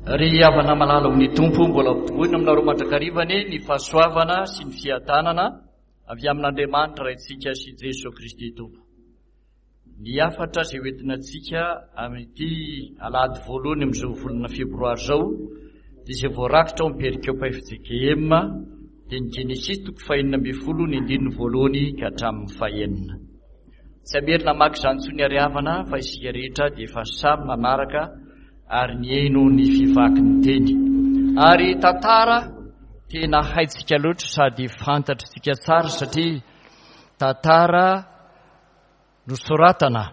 Ry havana malala ao amin'ny Tompo, mbola ampitomboina aminareo mandrakariva anie ny fahasoavana sy ny fiadanana avy amin'Andriamanitra Raintsika sy Jesoa Kristy Tompo. Ny hafatra izay hoentina antsika amin'ity alahady voalohany amin'izao volana febroary izao dia izay voarakitra ao amin'ny perikopa FJKM dia ny Genesisy toko fahenina ambin'ny folo ny andininy voalohany ka hatramin'ny fahenina. Tsy hamerina hamaky izany intsony ary havana fa isika rehetra dia efa samy nanaraka ary nihaino ny fivaky ny teny. Ary tantara tena haintsika loatra sady fantatritsika tsara satria tantara nosoratana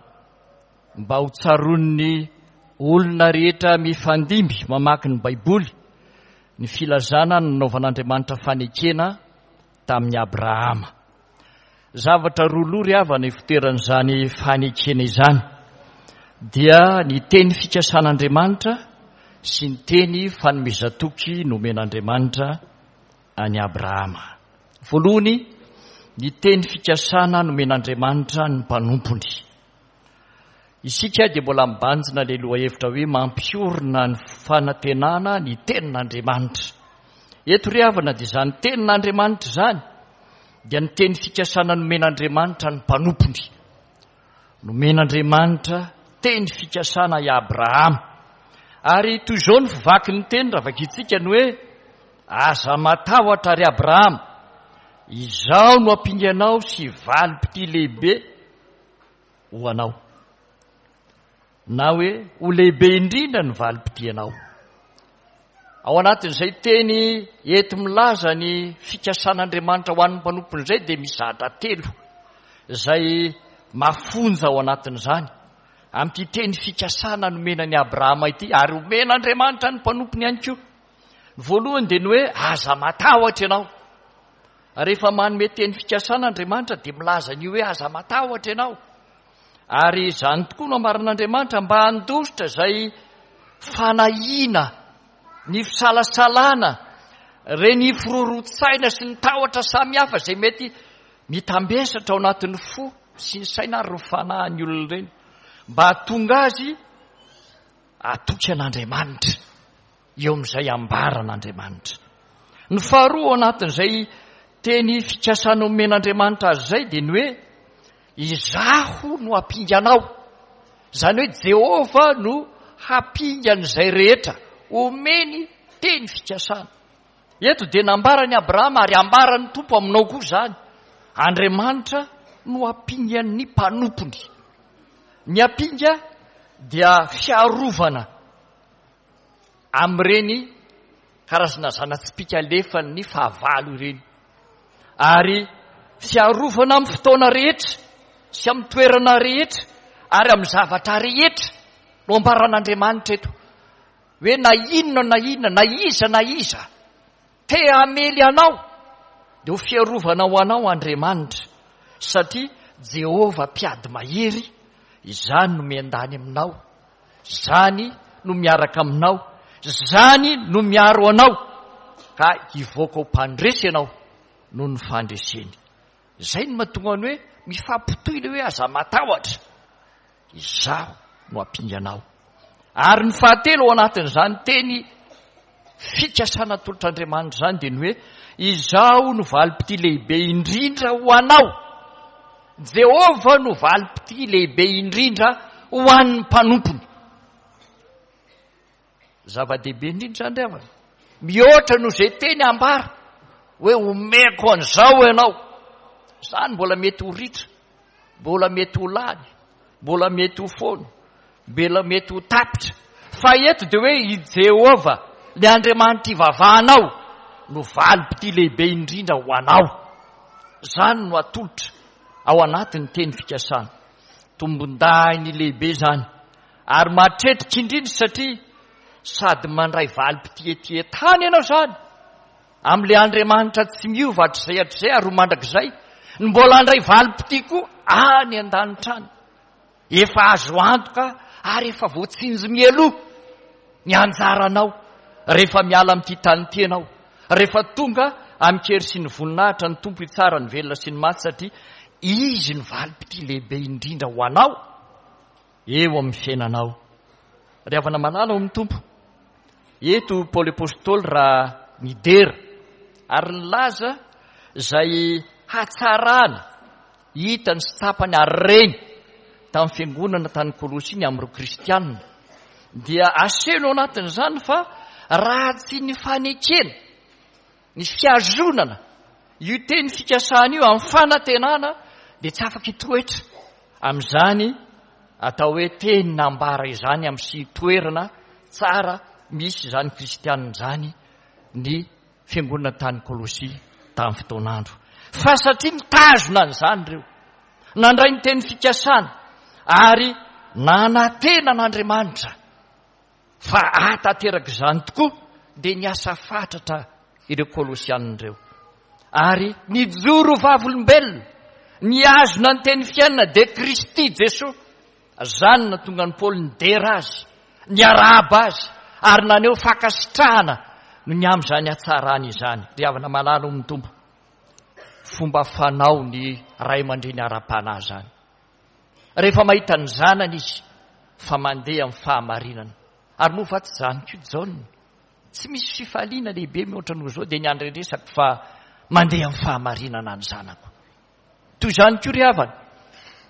mba ho tsaroan'ny olona rehetra mifandimby mamaky ny Baiboly ny filazana nanaovan'Andriamanitra fanekena tamin'i Abrahama. Zavatra roa loha ry havana ifoteran'izany fanekena izany dia ny teny fikasan'Andriamanitra sy ny teny fanomezan-toky nomen'Andriamanitra an'i Abrahama. Voalohany, ny teny fikasana nomen'Andriamanitra ny mpanompony. Isika dia mbola mibanjina ilay lohahevitra hoe mampiorina ny fanantenana ny tenin'Andriamanitra. Eto ry havana dia izany tenin'Andriamanitra izany dia ny teny fikasana nomen'Andriamanitra ny mpanompony. Nomen'Andriamanitra teny fikasana i Abrahama. Ary toy izao ny fivaky ny teny raha vakintsika ny hoe aza matahotra ry Abrahama, izaho no ampinganao sy valim-pitia lehibe ho anao. Na hoe ho lehibe indrindra ny valim-pitianao. Ao anatin'izay teny enti-milaza ny fikasan'Andriamanitra ho an'ny mpanompony izay dia misy zavatra telo izay mafonja ao anatin'izany. Amin'ity teny fikasana nomena an'i Abrahama ity ary omen'Andriamanitra ny mpanompony ihany koa. Ny voalohany dia ny hoe aza matahotra ianao. Rehefa manome teny fikasana Andriamanitra dia milaza an'io hoe aza matahotra ianao. Ary izany tokoa no ambaran'Andriamanitra mba handositra izay fanahiana, ny fisalasalana, ireny firoroan-tsaina sy ny tahotra samihafa izay mety mitambesatra ao anatin'ny fo sy ny saina ary ny fanahin'ny olona ireny, mba hahatonga azy hatoky an'Andriamanitra eo amin'izay ambaran'Andriamanitra. Ny faharoa ao anatin'izay teny fikasana omen'Andriamanitra azy izay dia ny hoe Izaho no hampinganao. Izany hoe Jehovah no hampingan'izay rehetra omeny teny fikasana. Eto dia nambaran'i Abrahama ary ambaran'ny Tompo aminao koa izany. Andriamanitra no hampingan'ny mpanompony. Ny ampinga dia fiarovana amin'ireny karazana zana-tsipìka alefan'ny fahavalo ireny, ary fiarovana amin'ny fotoana rehetra sy amin'ny toerana rehetra ary amin'ny zavatra rehetra no ambaran'Andriamanitra eto hoe na inona na inona na iza na iza te hamely anao dia ho fiarovana ho anao Andriamanitra satria Jehovah mpiady mahery izany no miandany aminao Izany no miaraka aminao, izany no miaro anao, ka hivoaka ho mpandresy ianao noho ny fandreseny. Izay no mahatonga ny hoe mifampitohy ilay hoe aza matahotra, izaho no hampinganao. Ary ny fahatelo ao anatin'izany teny fikasana atolotr'Andriamanitra izany dia ny hoe izaho no valim-pitia lehibe indrindra ho anao. Jehovah no valim-pitia lehibe indrindra ho an'ny mpanompony. Zava-dehibe indrindra izany ry havana. Mihoatra noho izay teny ambara hoe omeko an'izao ianao. Izany mbola mety ho ritra, mbola mety ho lany, mbola mety ho foana, mbola mety ho tapitra. Fa eto dia hoe i Jehovah, ilay Andriamanitra ivavahanao, no valim-pitia lehibe indrindra ho anao. Izany no atolotra ao anatin'ny teny fikasana. Tombondahiny lehibe izany ary mahatretrika indrindra satria sady mandray valim-pitia ety an-tany ianao izany amin'ilay Andriamanitra tsy miova hatrizay hatrizay ary ho mandrakizay, no mbola handray valim-pitia koa any an-danitra any. Efa azo antoka ary efa voatsinjo mialoha ny anjaranao rehefa miala amin'ity tany ity ianao, rehefa tonga amin-kery sy ny voninahitra ny Tompo hitsara ny velona sy ny maty satria Izy no valim-pitia lehibe indrindra ho anao eo amin'ny fiainanao. Ry havana malala ao amin'ny Tompo, Eto Paoly Apostoly raha nidera ary nilaza izay hatsarana hitany sy tsapany ary reny tamin'ny fiangonana tany Kolosia ny amin'ireo kristianina, dia asehony ao anatin'izany fa raha tsy ny fanekena, ny fihazonana io teny fikasana io amin'ny fanantenana dia tsy afaka hitoetra amin'izany atao hoe teny nambara izany amin'ny sy toerana tsara misy izany kristianina izany ny fiangonana tany Kolosia tamin'ny fotoan'andro. Fa satria nitazona an'izany ireo, nandray ny teny fikasana ary nanantena an'Andriamanitra fa hahatanteraka izany tokoa, dia niasa fatratra ireo Kolosianina ireo. Ary nijoro vavolombelona, nihazona ny teny fiainana dia Kristy Jesoa. Izany no nahatonga an'i Paoly nidera azy, niarahaba azy, ary naneho fankasitrahana noho ny amin'izany hatsarany izany. Ry havana malala ao amin'ny Tompo, fomba fanao ny ray aman-dreny ara-panahy izany. Rehefa mahita ny zanany izy fa mandeha amin'ny fahamarinana. Ary moa va tsy izany koa Jaona? Tsy misy fifaliana lehibe mihoatra noho izao dia ny handrenesako fa mandeha amin'ny fahamarinana ny zanako. Toy izany koa ry havana,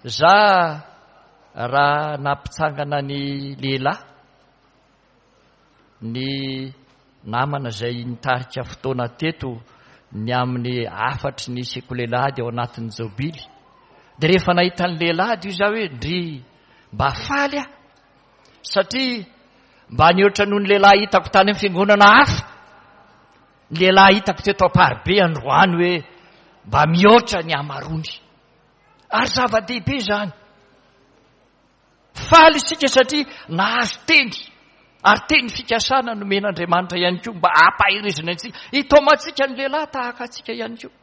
za raha nampitsangana ny lehilahy, ny namana izay nitarika fotoana teto ny amin'ny hafatry ny sekoly alahady ao anatin'ny jobily, dia rehefa nahita ny lehilahy dia izaho hoe ndry mba faly aho satria mba nihoatra noho ny lehilahy hitako tany amin'ny fiangonana hafa Ny lehilahy hitako teto Amparibe androany hoe mba mihoatra ny hamaroany. Ary zava-dehibe izany. Faly isika satria nahazo teny, ary teny fikasana nomen'Andriamanitra ihany koa mba hampaherezana antsika, hitaomantsika ny lehilahy tahaka antsika ihany koa.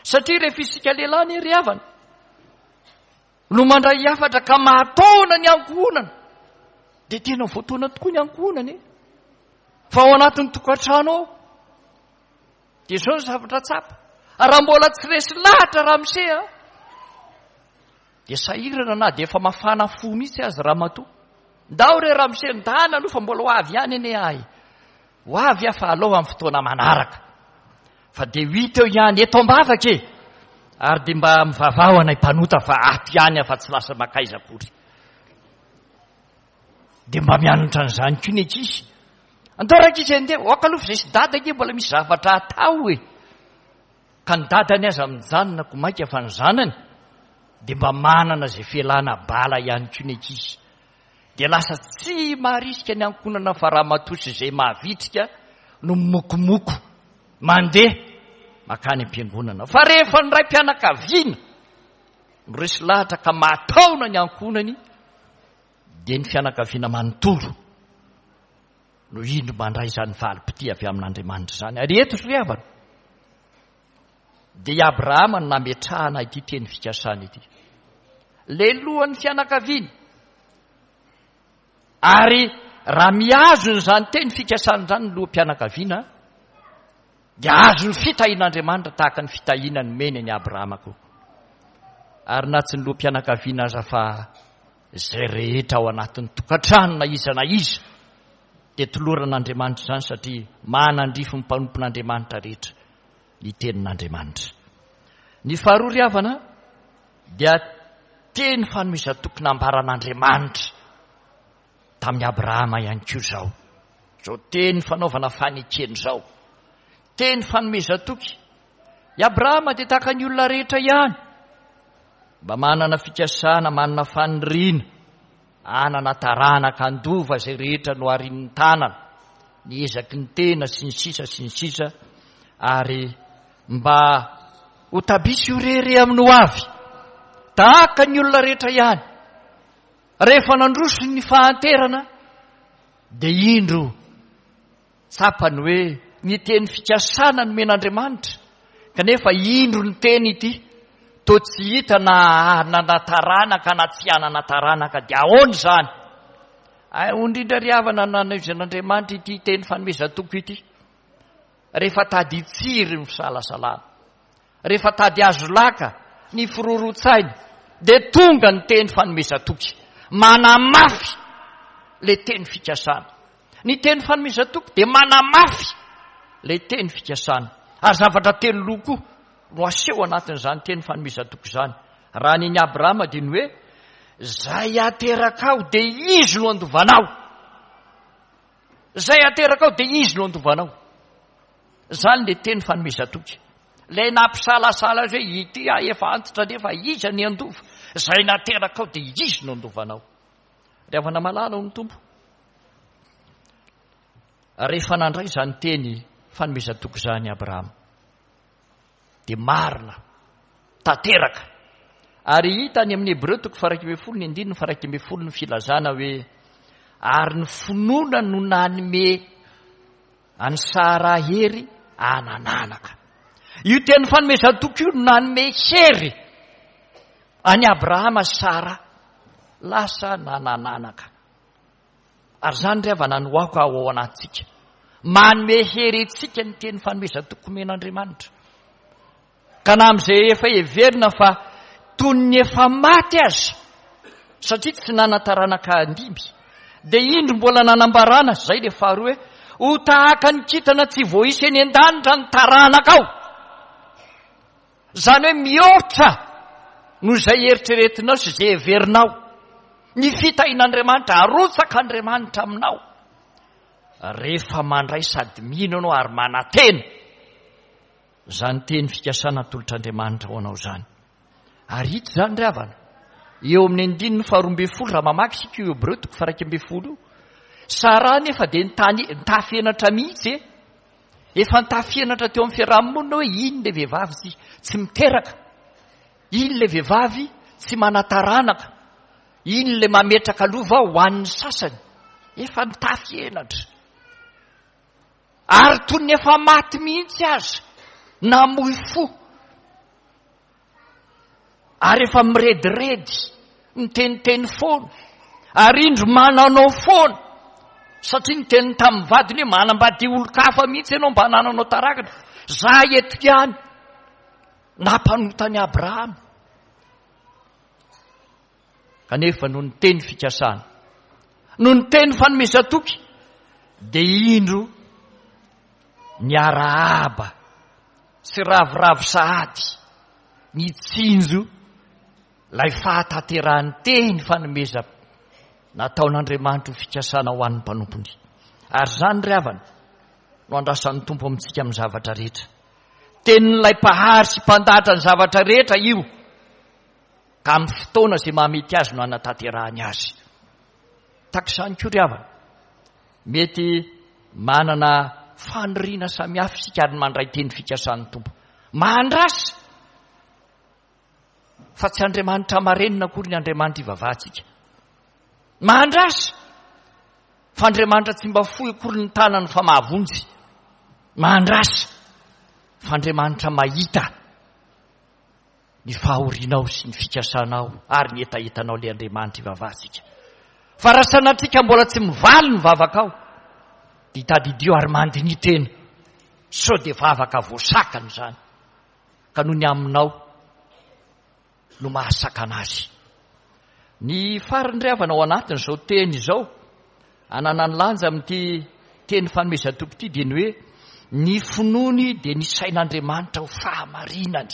Satria rehefa isika lehilahy anie ry havana no mandray hafatra ka mahataona ny ankohonana, dia tena voataona tokoa ny ankohonana e. Fa ao anatin'ny tokantrano ao dia izao ny zavatra tsapa, raha mbola tsy resy lahatra ramose a, dia sahirana na dia efa mafana fo mihitsy aza ramatoa. Ndao re ramose, ndana aloha fa mbola ho avy ihany anie ahy. Ho avy aho fa aleo amin'ny fotoana manaraka. Fa dia ho hita eo ihany, eto am-bavaka e! Ary dia mba mivavaha ho anay mpanota fa ato ihany aho fa tsy lasa makaiza akory. Dia mba mianatra an'izany koa ny ankizy. Andao rankizy handeha, aoka aloha fa izay sy dada ange mbola misy zavatra atao e. Ka ny dadany aza mijanona ko mainka fa ny zanany dia mba manana izay fialana bala ihany koa ny ankizy. Dia lasa tsy maharisika ny ankohonana fa ramatoa sy izay mahavitrika no mimokomoko mandeha makany am-piangonana. Fa rehefa ny raim-pianakaviana no resy lahatra ka mahataona ny ankohonany dia ny fianakaviana manontolo no indro mandray izany valim-pitia avy amin'Andriamanitra izany. Ary eto ry havana dia i Abrahama no nametrahana ity teny fikasana ity. Lelohan'ny fianakaviana. Ary raha mihazona izany teny fikasana izany ny loham-pianakaviana dia azon'ny fitahian'Andriamanitra tahaka ny fitahiana nomeny an'i Abrahama koa. Ary na tsy ny loham-pianakaviana aza fa izay rehetra ao anatin'ny tokantrano na iza na iza dia toloran'Andriamanitra izany satria manandrify ny mpanompon'Andriamanitra rehetra ny tenin'Andriamanitra. Ny faharoa ry havana dia teny fanomezan-toky nambaran'Andriamanitra tamin'i Abrahama ihany koa izao. Izao teny fanaovana fanekena izao. Teny fanomezan-toky. I Abrahama dia tahaka ny olona rehetra ihany. Mba manana fikasana, manana faniriana, hanana taranaka, handova izay rehetra noharin'ny tanana, ny ezaky ny tena, sy ny sisa sy ny sisa, ary mba ho tabisy ho rehareha amin'ny ho avy, tahaka ny olona rehetra ihany. Rehefa nandroso ny fahanterana dia indro tsapany hoe ny teny fikasana nomen'Andriamanitra kanefa indro ny teny ity toa tsy hita na hanana taranaka na tsy hanana taranaka dia ahoana izany? Ay, indrindra ry havana nanaizan'Andriamanitra ity teny fanomezan-toky ity rehefa tady hitsiry ny fisalasalana. Rehefa tady azo laka ny firoron-tsaina dia tonga ny teny fanomezan-toky, manamafy ilay teny fikasana. Ny teny fanomezan-toky dia manamafy ilay teny fikasana. Ary zavatra teloloha koa no aseho anatin'izany teny fanomezan-toky izany. Raha ny an'i Abrahama dia ny hoe, Izay aterakao dia izy no handovanao. Izay aterakao dia izy no handovanao. Izany ilay teny fanomezan-toky. Ilay nampisalasala azy hoe ity aho efa antitra nefa iza ny handova. Izay naterakao dia izy no handovanao. Ry havana malala ao ny Tompo. Rehefa nandray izany teny fanomezan-toky izany Abrahama dia marina, tanteraka. Ary hita any amin'ny Hebreo toko faha-11 ny andininy faha-11 ny filazana hoe ary ny finoana no nanome an'i Sara hery hanananaka. Io teny fanomezan-toky io no nanome hery an'i Abrahama sy Sara lasa nanananaka. Ary izany ry havana no aoka ho ao anatintsika. Manome hery antsika ny teny fanomezan-toky omen'Andriamanitra. Ka na amin'izay efa heverina fa toy ny efa maty aza, satria tsy nanan-taranaka handimby, dia indro mbola nanambarana, izay ilay faharoa hoe, ho tahaka ny kintana tsy voaisa eny an-danitra ny taranakao. Izany hoe mihoatra noho izay eritreretinao sy izay heverinao. Ny fitahian'Andriamanitra, arotsak'Andriamanitra aminao. Rehefa mandray sady mino ianao ary manantena izany teny fikasana atolotr'Andriamanitra ho anao izany. Ary hita izany ry havana, eo amin'ny andininy faharoa ambin'ny folo, raha mamaky isika io Hebreo toko faha-iraika ambin'ny folo io, Saraha nefa dia nitany, nitafy henatra mihitsy e. Efa nitafy henatra teo amin'ny fiaraha-monina hoe iny ilay vehivavy tsy, tsy miteraka, iny ilay vehivavy tsy manan-taranaka, iny ilay mametraka lova ho an'ny sasany. Efa nitafy henatra. Ary toy ny efa maty mihitsy aza, namoy fo. Ary efa mirediredy, miteniteny foana, ary indro mananao foana, satria niteny tamin'ny vadiny hoe manambady olon-kafa mihitsy ianao mba hanananao tarakana. Za eto ihany, nampanota an'i Abrahama. Kanefa noho ny teny fikasana, noho ny teny fanomezan-toky, dia indro niarahaba sy ravoravo sahady nitsinjo ilay fahatanterahan'ny teny fanomezana nataon'Andriamanitra ho fikasana ho an'ny mpanompony. Ary izany ry havana no andrasan'ny Tompo amintsika amin'ny zavatra rehetra. Tenin'ilay Mpahary sy Mpandahatra ny zavatra rehetra io. Ka amin'ny fotoana izay mahamety azy no hanatanterahany azy. Tahaka izany koa ry havana, mety manana faniriana samihafa isika ary mandray teny fikasan'ny Tompo. Mahandrasa fa tsy Andriamanitra marenina akory ny Andriamanitra ivavahantsika. Mahandrasa fa Andriamanitra tsy mba fohy akory ny tanany fa mahavonjy. Mahandrasa fa Andriamanitra mahita. ny fahorianao sy ny fikasanao ary ny hetahetanao ilay Andriamanitra ivavahantsika. Fa raha sanatria ka mbola tsy mivaly ny vavakao, dia tadidio ary mandiniha tena sao dia vavaka voasakana izany, ka noho ny aminao no mahasakana azy. Ny farany ry havana ao anatin'izao teny izao, ananany lanja amin'ity teny fanomezan-toky ity dia ny hoe ny finoany dia ny sain'Andriamanitra ho fahamarinany.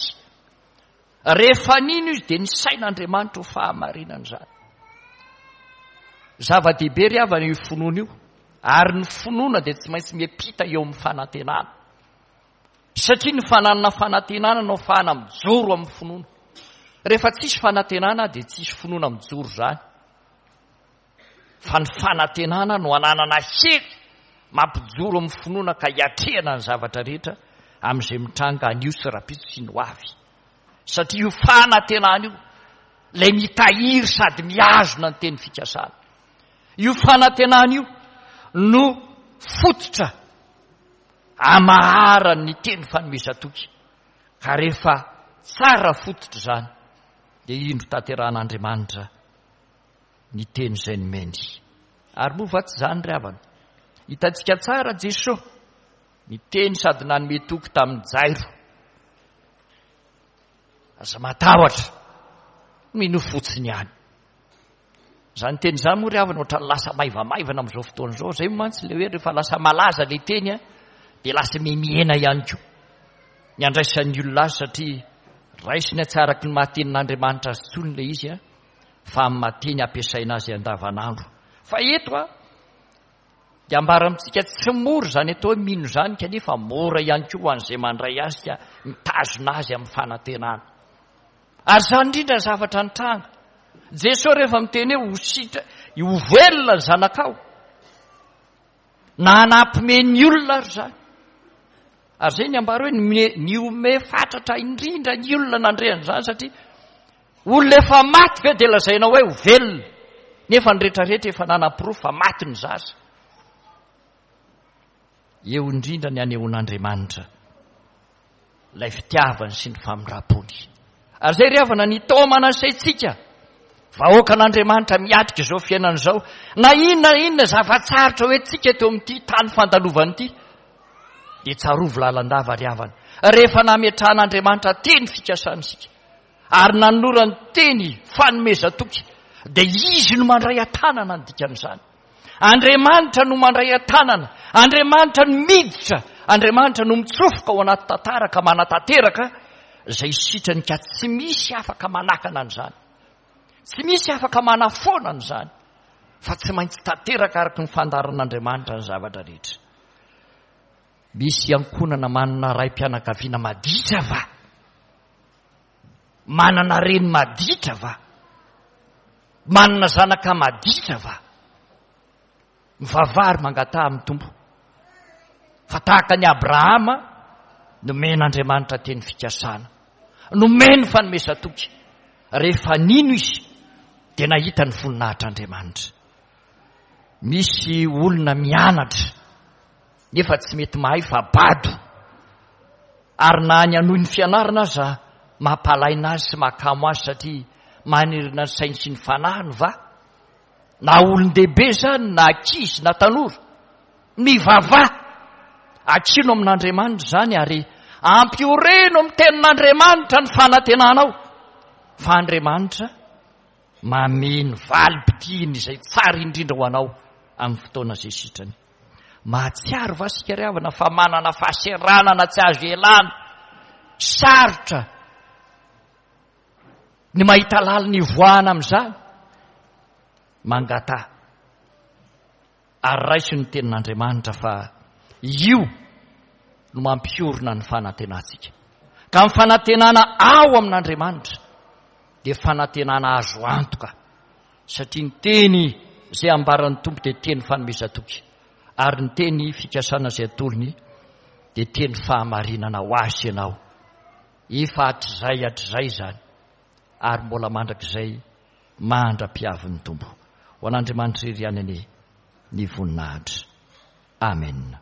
Rehefa nino izy dia ny sain'Andriamanitra ho fahamarinany izany. Zava-dehibe ry havana io finoana io, ary ny finoana dia tsy maintsy miampita eo amin'ny fanantenana. Satria ny fananana fanantenana no ahafahana mijoro amin'ny finoana. Rehefa tsisy fanantenana dia tsisy finoana mijoro izany. Fa ny fanantenana no ananana hery mampijoro amin'ny finoana ka hiatrehana ny zavatra rehetra amin'izay mitranga anio sy rahampitso sy ny ho avy. Satria io fanantenana io ilay mitahiry sady mihazona ny teny fikasana. Io fanantenana io no fototra amaharany ny teny fanomezan-toky, ka rehefa tsara fototra izany, dia indro tanterahan'Andriamanitra ny teny izay nomeny. Ary moa va tsy izany ry havana? Hitantsika tsara Jesoa niteny sady nanome toky tamin'i Jairo. Aza matahotra, minoa fotsiny ihany. Izany teny izany moa ry havana ohatran'ny lasa maivamaivana amin'izao fotoana izao. Izay mantsy ilay hoe rehefa lasa malaza ilay teny dia lasa mihemihena ihany koa ny andraisan'ny olona azy satria raisina tsy araky ny maha tenin'Andriamanitra azy intsony ilay izy fa amin'ny maha teny ampiasaina azy andavanandro. Fa eto a dia ambara amintsika tsy mora izany atao hoe mino izany kanefa mora ihany koa ho an'izay mandray azy ka mitazona azy amin'ny fanantenana. Ary izany indrindra ny zavatra nitranga. Jesoa rehefa miteny hoe ho sitra, ho velona ny zanakao, na hanampime ny olona ary izany. Ary izay ny ambara hoe nihomehy fatratra indrindra ny olona nandre an'izany satria olona efa maty ve dia lazainao hoe ho velona nefa ny rehetrarehetra efa nanaporofo fa maty ny zaza. Eo indrindra ny anehoan'Andriamanitra ilay fitiavany sy ny famindram-pony. Ary izay ry havana ny taomana ny saintsika, vahoakan'Andriamanitra miatrika izao fiainana izao, na inona na inona zava-tsarotra ho entintsika eto amin'ity tany fandalovana ity, dia tsarovy lalandava ry havana, rehefa nametrahan'Andriamanitra teny fikasana isika, ary nanolorany teny fanomezan-toky, dia Izy no mandray an-tanana ny dikan'izany. Andriamanitra no mandray an-tanana, Andriamanitra no miditra, Andriamanitra no mitsofoka ao anaty tantara ka manatanteraka izay sitrany ka tsy misy afaka manakana an'izany. Tsy misy afaka manafoana an'izany fa tsy maintsy tanteraka araka ny fandaharan'Andriamanitra ny zavatra rehetra. Misy ankohonana manana raim-pianakaviana maditra va? Manana reny maditra va? Manana zanaka maditra va? Mivavaha ary mangataha amin'ny Tompo. Fa tahaka an'i Abrahama, nomen'Andriamanitra teny fikasana. Nomeny fanomezan-toky. Rehefa nino izy, dia nahita ny voninahitr'Andriamanitra. Misy olona mianatra, nefa tsy mety mahay fa bado. Ary na ny hanohy ny fianarana aza mampalaina azy sy mahakamo azy satria manerina ny sainy sy ny fanahiny va? Na olon-dehibe izany na ankizy na tanora, mivavaha, akino amin'Andriamanitra izany ary ampioreno amin'ny tenin'Andriamanitra ny fanantenanao fa Andriamanitra mameno valim-pitiany izay tsara indrindra ho anao amin'ny fotoana izay sitrany. Mahatsiaro va isika ry havana fa manana fahaseranana tsy azo ialana, sarotra ny mahita lalina ivoahana amin'izany? Mangataha ary raiso ny tenin'Andriamanitra fa io no mampiorina ny fanantenantsika. Ka ny fanantenana ao amin'Andriamanitra dia fanantenana azo antoka. Satria ny teny izay ambaran'ny Tompo dia teny fanomezan-toky, ary ny teny fikasana izay atolony dia teny fahamarinana ho ahy sy ianao. Efa hatrizay hatrizay izany, ary mbola mandrakizay mandra-piavin'ny Tompo. Ho an'Andriamanitra irery ihany anie ny voninahitra. Amena.